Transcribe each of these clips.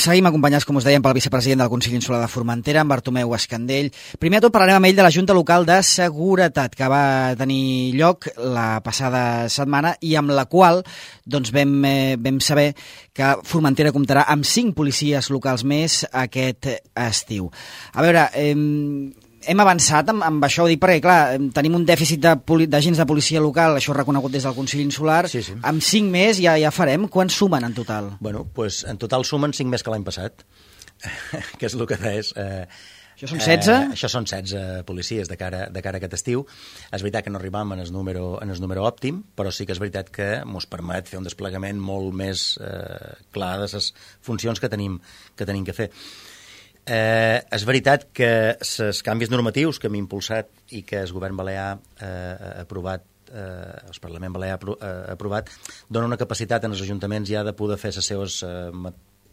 seguim acompanyats, com us dèiem, pel vicepresident del Consell Insular de Formentera, en Bartomeu Escandell. Primer de tot parlarem amb ell de la Junta Local de Seguretat, que va tenir lloc la passada setmana i amb la qual doncs, vam saber que Formentera comptarà amb 5 policies locals més aquest estiu. A veure, hem avançat amb això, ho dic perquè, clar, tenim un dèficit d'agents de policia local, això reconegut des del Consell Insular, sí. Amb 5 més ja farem. Quants sumen en total? Bueno, doncs en total sumen 5 més que l'any passat, que és el que és. Això són 16? Això són 16 policies de cara a aquest estiu. És veritat que no arribam en el número òptim, però sí que és veritat que ens permet fer un desplegament molt més clar de les funcions que tenim que fer. És veritat que els canvis normatius que hem impulsat i que el govern balear ha aprovat, el Parlament balear ha aprovat, dona una capacitat en els ajuntaments ja de poder fer els seus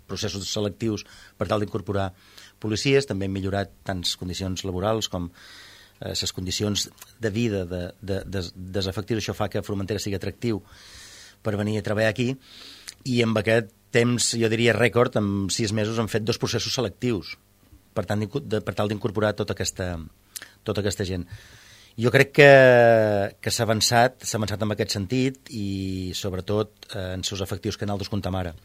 processos selectius per tal d'incorporar policies. També hem millorat tant les condicions laborals com les condicions de vida dels efectius. Això fa que Formentera sigui atractiu per venir a treballar aquí, i amb aquest temps, jo diria rècord, en 6 mesos hem fet 2 processos selectius per tal d'incorporar tota aquesta gent. Jo crec que s'ha avançat en aquest sentit, i sobretot en els efectius que nosaltres comptem ara.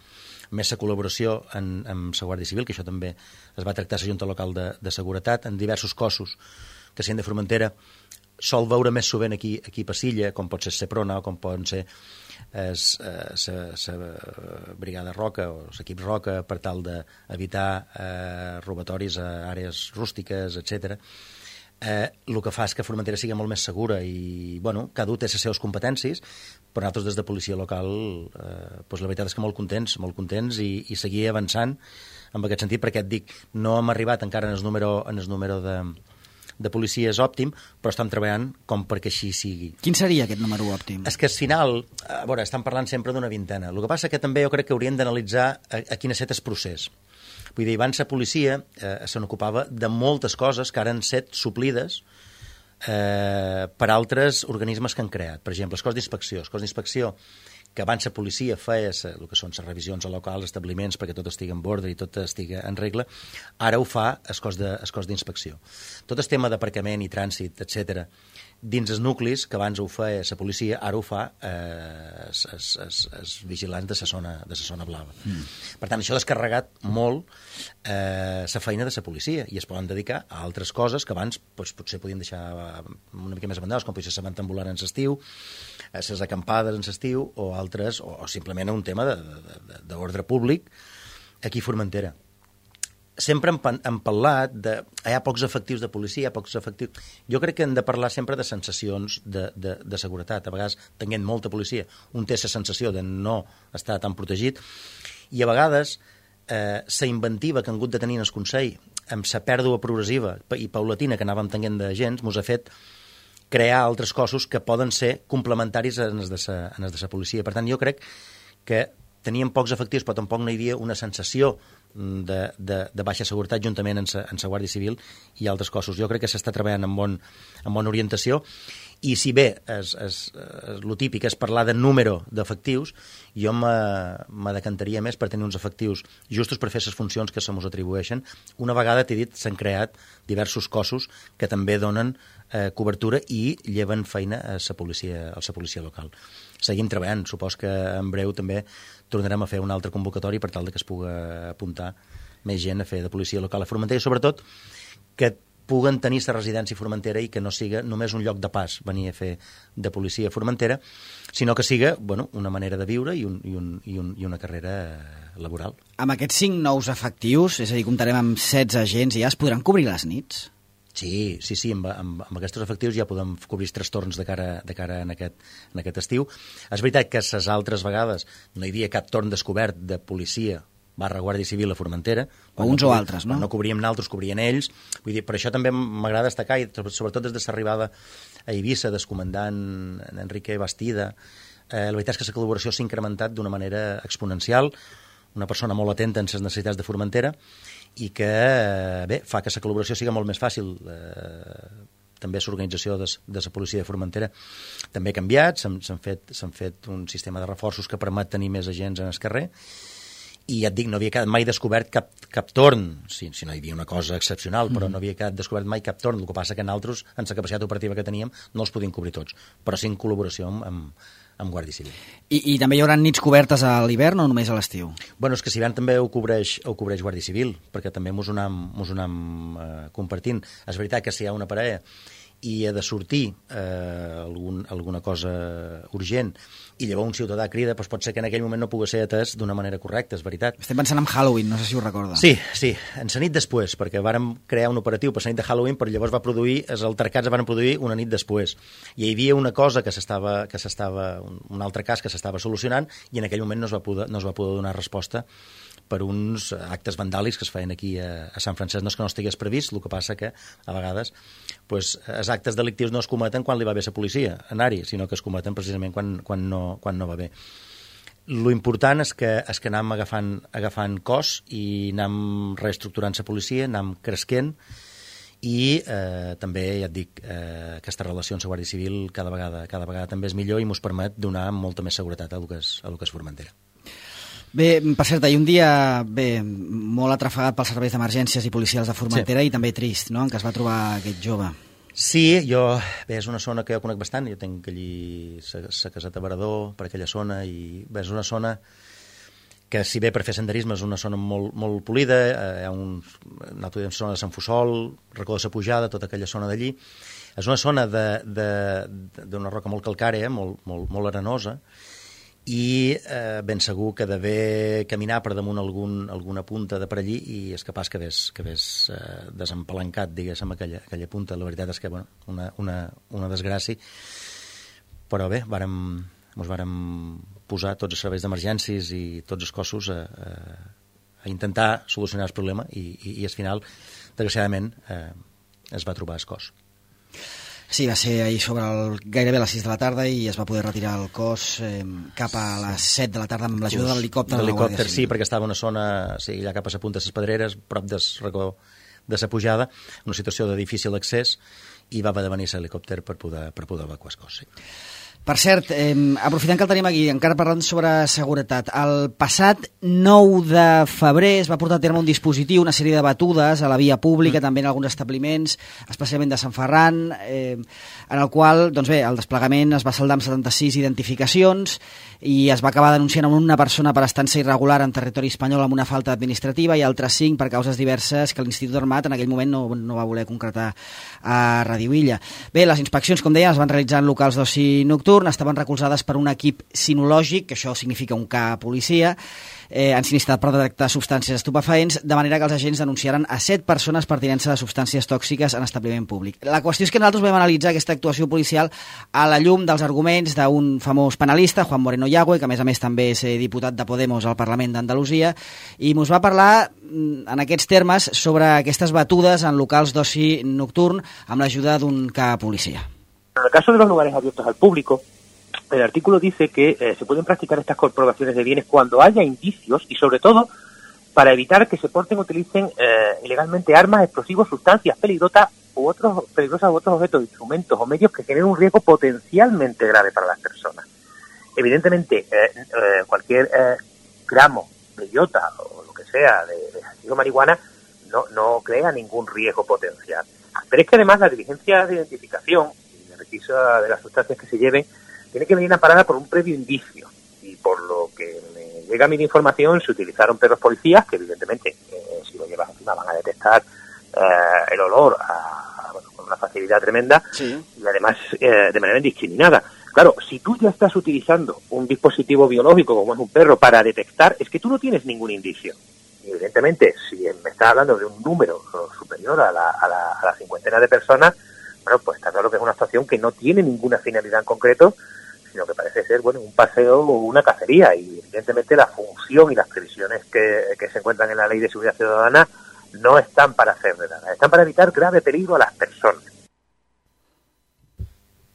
Més la col·laboració amb la Guàrdia Civil, que això també es va tractar a la Junta Local de Seguretat, en diversos cossos que s'han de Formentera. Sol veure més sovint aquí a Silla, com pot ser Seprona o com poden ser la Brigada Roca o l'equip Roca, per tal d'evitar robatoris a àrees rústiques, etc. El que fa és que Formentera sigui molt més segura, i cada un té les seves competències, però nosaltres des de policia local la veritat és que molt contents i seguir avançant en aquest sentit, perquè et dic, no hem arribat encara en el número de policies òptim, però estan treballant com perquè així sigui. Quin seria aquest número òptim? És que al final, estan parlant sempre d'una vintena. El que passa que també jo crec que haurien d'analitzar a quin ha estat el procés. Vull dir, abans la policia se n'ocupava de moltes coses que ara han estat suplides per altres organismes que han creat. Per exemple, el cos d'inspecció, que abans la policia feia el que són les revisions a locals, establiments, perquè tot estigui en ordre i tot estigui en regla, ara ho fa el cos d'inspecció. Tot el tema d'aparcament i trànsit, etc., dins els nuclis, que abans ho feia la policia, ara ho fa els vigilants de la zona blava. Per tant, això ha descarregat molt la feina de la policia, i es poden dedicar a altres coses que abans potser podien deixar una mica més abandonades, com potser la manta ambulant en l'estiu, les acampades en l'estiu, o altres, o simplement un tema d'ordre públic aquí a Formentera. Sempre hem parlat de... Hi ha pocs efectius de policia, hi ha pocs efectius... Jo crec que hem de parlar sempre de sensacions de seguretat. A vegades, tenint molta policia, un té la sensació de no estar tan protegit, i a vegades la inventiva que han hagut de tenir en el Consell, amb la pèrdua progressiva i paulatina que anàvem tenint d'agents, ens ha fet crear altres cossos que poden ser complementaris en els de la policia. Per tant, jo crec que teníem pocs efectius, però tampoc no hi havia una sensació de baixa seguretat juntament amb la Guàrdia Civil i altres cossos. Jo crec que s'està treballant amb bona orientació, i si bé el típic és parlar de número d'efectius, jo me decantaria més per tenir uns efectius justos per fer les funcions que se mos atribueixen. Una vegada, t'he dit, s'han creat diversos cossos que també donen cobertura i lleven feina a la policia local. Seguim treballant. Supos que en breu també tornarem a fer un altre convocatori per tal que es pugui apuntar més gent a fer de policia local a Formentera, i sobretot que puguen tenir la residència a Formentera i que no siga només un lloc de pas venir a fer de policia a Formentera, sinó que siga una manera de viure i una carrera laboral. Amb aquests 5 nous efectius, és a dir, comptarem amb 16 agents, i ja es podran cobrir les nits? Sí, amb aquests efectius ja podem cobrir els trastorns de cara en aquest estiu. És veritat que les altres vegades no hi havia cap torn descobert de policia /Guàrdia Civil a Formentera. O uns o altres, no? No cobríem nosaltres, cobrien ells. Vull dir, per això també m'agrada destacar, i sobretot des de l'arribada a Eivissa del comandant Enrique Bastida, la veritat és que la col·laboració s'ha incrementat d'una manera exponencial, una persona molt atenta en les necessitats de Formentera, i que fa que la col·laboració sigui molt més fàcil. També l'organització de la policia de Formentera també ha canviat, s'han fet un sistema de reforços que permet tenir més agents en el carrer, i ja et dic, no havia quedat mai descobert cap torn, si no hi havia una cosa excepcional, però no havia quedat descobert mai cap torn. El que passa que nosaltres, amb la capacitat operativa que teníem, no els podíem cobrir tots, però sí en col·laboració amb Guàrdia Civil. I també hi haurà nits cobertes a l'hivern o només a l'estiu? Bueno, és que si també ho cobreix Guàrdia Civil, perquè també mos ho anem compartint. És veritat que si hi ha una parella i ha de sortir alguna cosa urgent i llavors un ciutadà crida, doncs pot ser que en aquell moment no pugui ser atès d'una manera correcta, és veritat. Estem pensant en Halloween, no sé si ho recorda. Sí, en la nit després, perquè vàrem crear un operatiu per la nit de Halloween, però llavors els altercats es van produir una nit després. I hi havia una cosa un altre cas que s'estava solucionant i en aquell moment no es va poder donar resposta per uns actes vandàlics que es feien aquí a Sant Francesc. No és que no estigués previst, el que passa que a vegades els actes delictius no es cometen quan li va bé la policia anar-hi, sinó que es cometen precisament quan no va bé. Lo important és que anem agafant cos i anem reestructurant la policia, anem cresquent i també, ja et dic, aquesta relació amb la Guàrdia Civil cada vegada també és millor i ens permet donar molta més seguretat a lo que és Formentera. Bé, per cert, hi ha un dia molt atrafegat pels serveis d'emergències i policials de Formentera i també trist, no?, en què es va trobar aquest jove. Sí, és una zona que jo conec bastant, jo tinc allí la caseta Varador, per aquella zona, i és una zona que, si bé per fer senderisme és una zona molt, molt polida, hi ha una zona de Sant Fussol, Racó de la Pujada, tota aquella zona d'allí. És una zona d'una roca molt calcària, molt arenosa, i ben segur que d'haver caminar per damunt alguna punta de per allí i és capaç que hagués desempalancat, diguéssim, aquella punta. La veritat és que, bueno, una desgràcia, però bé, ens vàrem posar tots els serveis d'emergències i tots els cossos a intentar solucionar el problema i al final, desgraciadament, es va trobar el cos. Sí, va ser ahir gairebé a les 6 de la tarda i es va poder retirar el cos cap a les 7 de la tarda amb l'ajuda de l'helicòpter de la Guàrdia Civil. Sí, perquè estava en una zona, allà cap a la punta de les Pedreres, prop del Racó de la Pujada, una situació de difícil accés, i va haver de venir l'helicòpter per poder evacuar el cos. Sí. Per cert, aprofitant que el tenim aquí, encara parlant sobre seguretat, el passat 9 de febrer es va portar a terme un dispositiu, una sèrie de batudes a la via pública, també en alguns establiments, especialment de Sant Ferran, en el qual, doncs bé, el desplegament es va saldar amb 76 identificacions i es va acabar denunciant una persona per estança irregular en territori espanyol amb una falta administrativa i altres 5 per causes diverses que l'Institut Armat en aquell moment no va voler concretar a Radio Illa. Bé, les inspeccions, com deia, es van realitzar en locals d'oci nocturn, estaven recolzades per un equip sinològic, que això significa un K policia, ensinistat per detectar substàncies estupefaents, de manera que els agents denunciaren a 7 persones per tinença de substàncies tòxiques en establiment públic. La qüestió és que nosaltres vam analitzar aquesta actuació policial a la llum dels arguments d'un famós penalista, Juan Moreno Yagüe, que a més també és diputat de Podemos al Parlament d'Andalusia, i ens va parlar en aquests termes sobre aquestes batudes en locals d'oci nocturn amb l'ajuda d'un K policia. En el caso de los lugares abiertos al público, el artículo dice que se pueden practicar estas comprobaciones de bienes cuando haya indicios y, sobre todo, para evitar que se porten o utilicen ilegalmente armas, explosivos, sustancias peligrosas u otros objetos, instrumentos o medios que generen un riesgo potencialmente grave para las personas. Evidentemente, cualquier gramo de iota o lo que sea de marihuana no crea ningún riesgo potencial. Pero es que además la diligencia de identificación y de requisa de las sustancias que se lleven tiene que venir amparada por un previo indicio, y por lo que me llega a mi información se utilizaron perros policías que evidentemente si lo llevas encima van a detectar el olor con una facilidad tremenda, sí. Y además de manera indiscriminada. Claro, si tú ya estás utilizando un dispositivo biológico como es un perro para detectar, es que tú no tienes ningún indicio. Y evidentemente, si me estás hablando de un número superior a la cincuentena de personas, bueno, pues está claro que es una actuación que no tiene ninguna finalidad en concreto, sino que parece ser, bueno, un paseo o una cacería, y evidentemente la función y las previsiones que se encuentran en la Ley de Seguridad Ciudadana no están para hacer de nada, están para evitar grave peligro a las personas.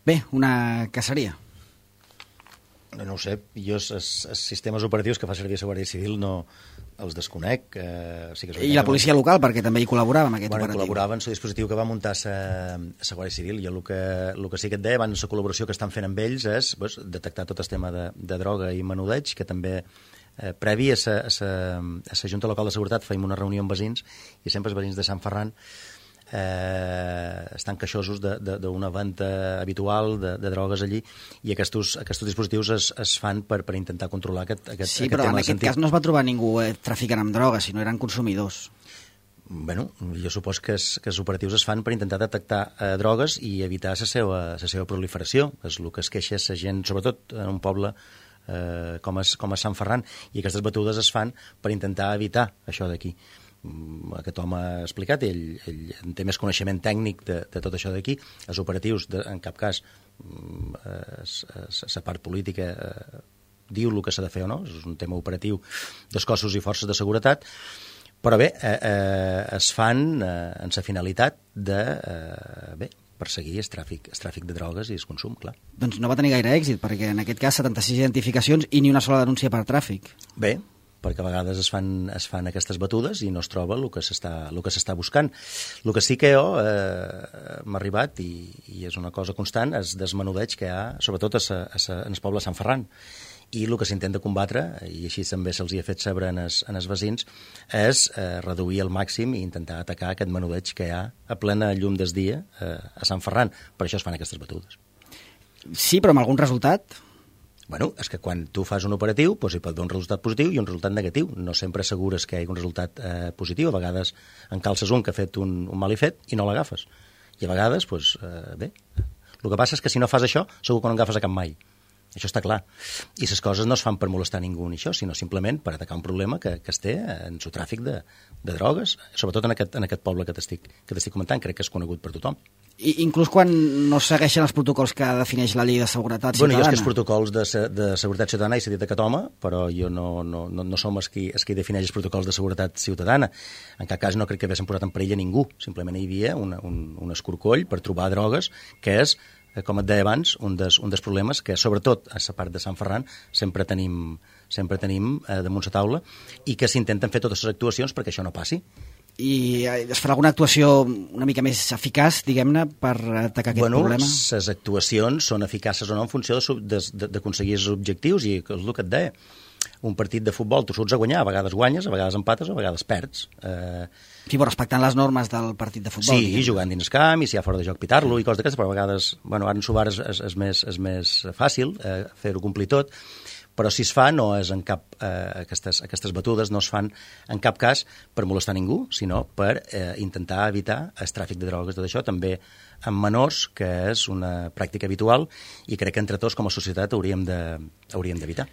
Bé, una caceria. No ho sé, jo els sistemes operatius que fa servir la Guàrdia Civil no els desconec. Sí que I la policia local, perquè també hi col·laborava amb aquest operatiu. Col·laborava en el dispositiu que va muntar la Guàrdia Civil. Jo el que sí que et deia, abans la col·laboració que estan fent amb ells és detectar tot el tema de droga i menudeig, que també previ a la Junta Local de Seguretat fèiem una reunió amb veïns i sempre els veïns de Sant Ferran estan queixosos d'una venda habitual de drogues allí i aquests dispositius es fan per intentar controlar aquest sí, però en aquest cas no es va trobar ningú traficant amb drogues, sinó eren consumidors. Bueno, jo supos que els operatius es fan per intentar detectar drogues i evitar la seva proliferació, és el que es queixa la gent, sobretot en un poble com és Sant Ferran, i aquestes batudes es fan per intentar evitar això d'aquí. Aquest home ha explicat, ell té més coneixement tècnic de tot això d'aquí, els operatius, en cap cas la part política diu el que s'ha de fer o no, és un tema operatiu dels cossos i forces de seguretat, però bé, es fan en la finalitat de perseguir el tràfic de drogues i el consum, clar. Doncs no va tenir gaire èxit, perquè en aquest cas 76 identificacions i ni una sola denúncia per tràfic. Bé, perquè a vegades es fan aquestes batudes i no es troba el que s'està buscant. El que sí que m'ha arribat, i és una cosa constant, és desmenudeig que hi ha, sobretot en el poble de Sant Ferran. I el que s'intenta combatre, i així també se'ls ha fet saber en els veïns, és reduir al màxim i intentar atacar aquest menudeig que hi ha a plena llum del dia a Sant Ferran. Per això es fan aquestes batudes. Sí, però amb algun resultat? Bueno, és que quan tu fas un operatiu hi pot haver un resultat positiu i un resultat negatiu. No sempre assegures que hi hagi un resultat positiu. A vegades encalces un que ha fet un mal i fet i no l'agafes. I a vegades, bé, el que passa és que si no fas això, segur que no agafes a cap mai. Això està clar. I les coses no es fan per molestar ningú ni això, sinó simplement per atacar un problema que es té en el tràfic de drogues, sobretot en aquest poble que t'estic comentant, crec que és conegut per tothom. I inclús quan no segueixen els protocols que defineix la llei de seguretat ciutadana? Bueno, jo és que els protocols de seguretat ciutadana he dit aquest home, però jo no som els qui defineix els protocols de seguretat ciutadana. En cap cas no crec que haguessin posat en perill a ningú. Simplement hi havia un escorcoll per trobar drogues, que és, com et deia abans, un dels problemes que, sobretot a la part de Sant Ferran, sempre tenim damunt la taula i que s'intenten fer totes les actuacions perquè això no passi. I es farà alguna actuació una mica més eficaç, diguem-ne, per atacar aquest problema? Bueno, les actuacions són eficaces o no en funció d'aconseguir els objectius, i és el que et deia. Un partit de futbol tu surts a guanyar, a vegades guanyes, a vegades empates, a vegades perds. Sí, però respectant les normes del partit de futbol. Sí, jugant dins camp, i si hi ha fora de joc pitar-lo i coses d'aquestes, però a vegades, bueno, ara en Subar és més fàcil fer-ho complir tot, però si es fa no és en cap aquestes batudes no es fan en cap cas per molestar ningú, sinó per intentar evitar el tràfic de drogues. Tot això també amb menors, que és una pràctica habitual i crec que entre tots com a societat hauríem d'evitar.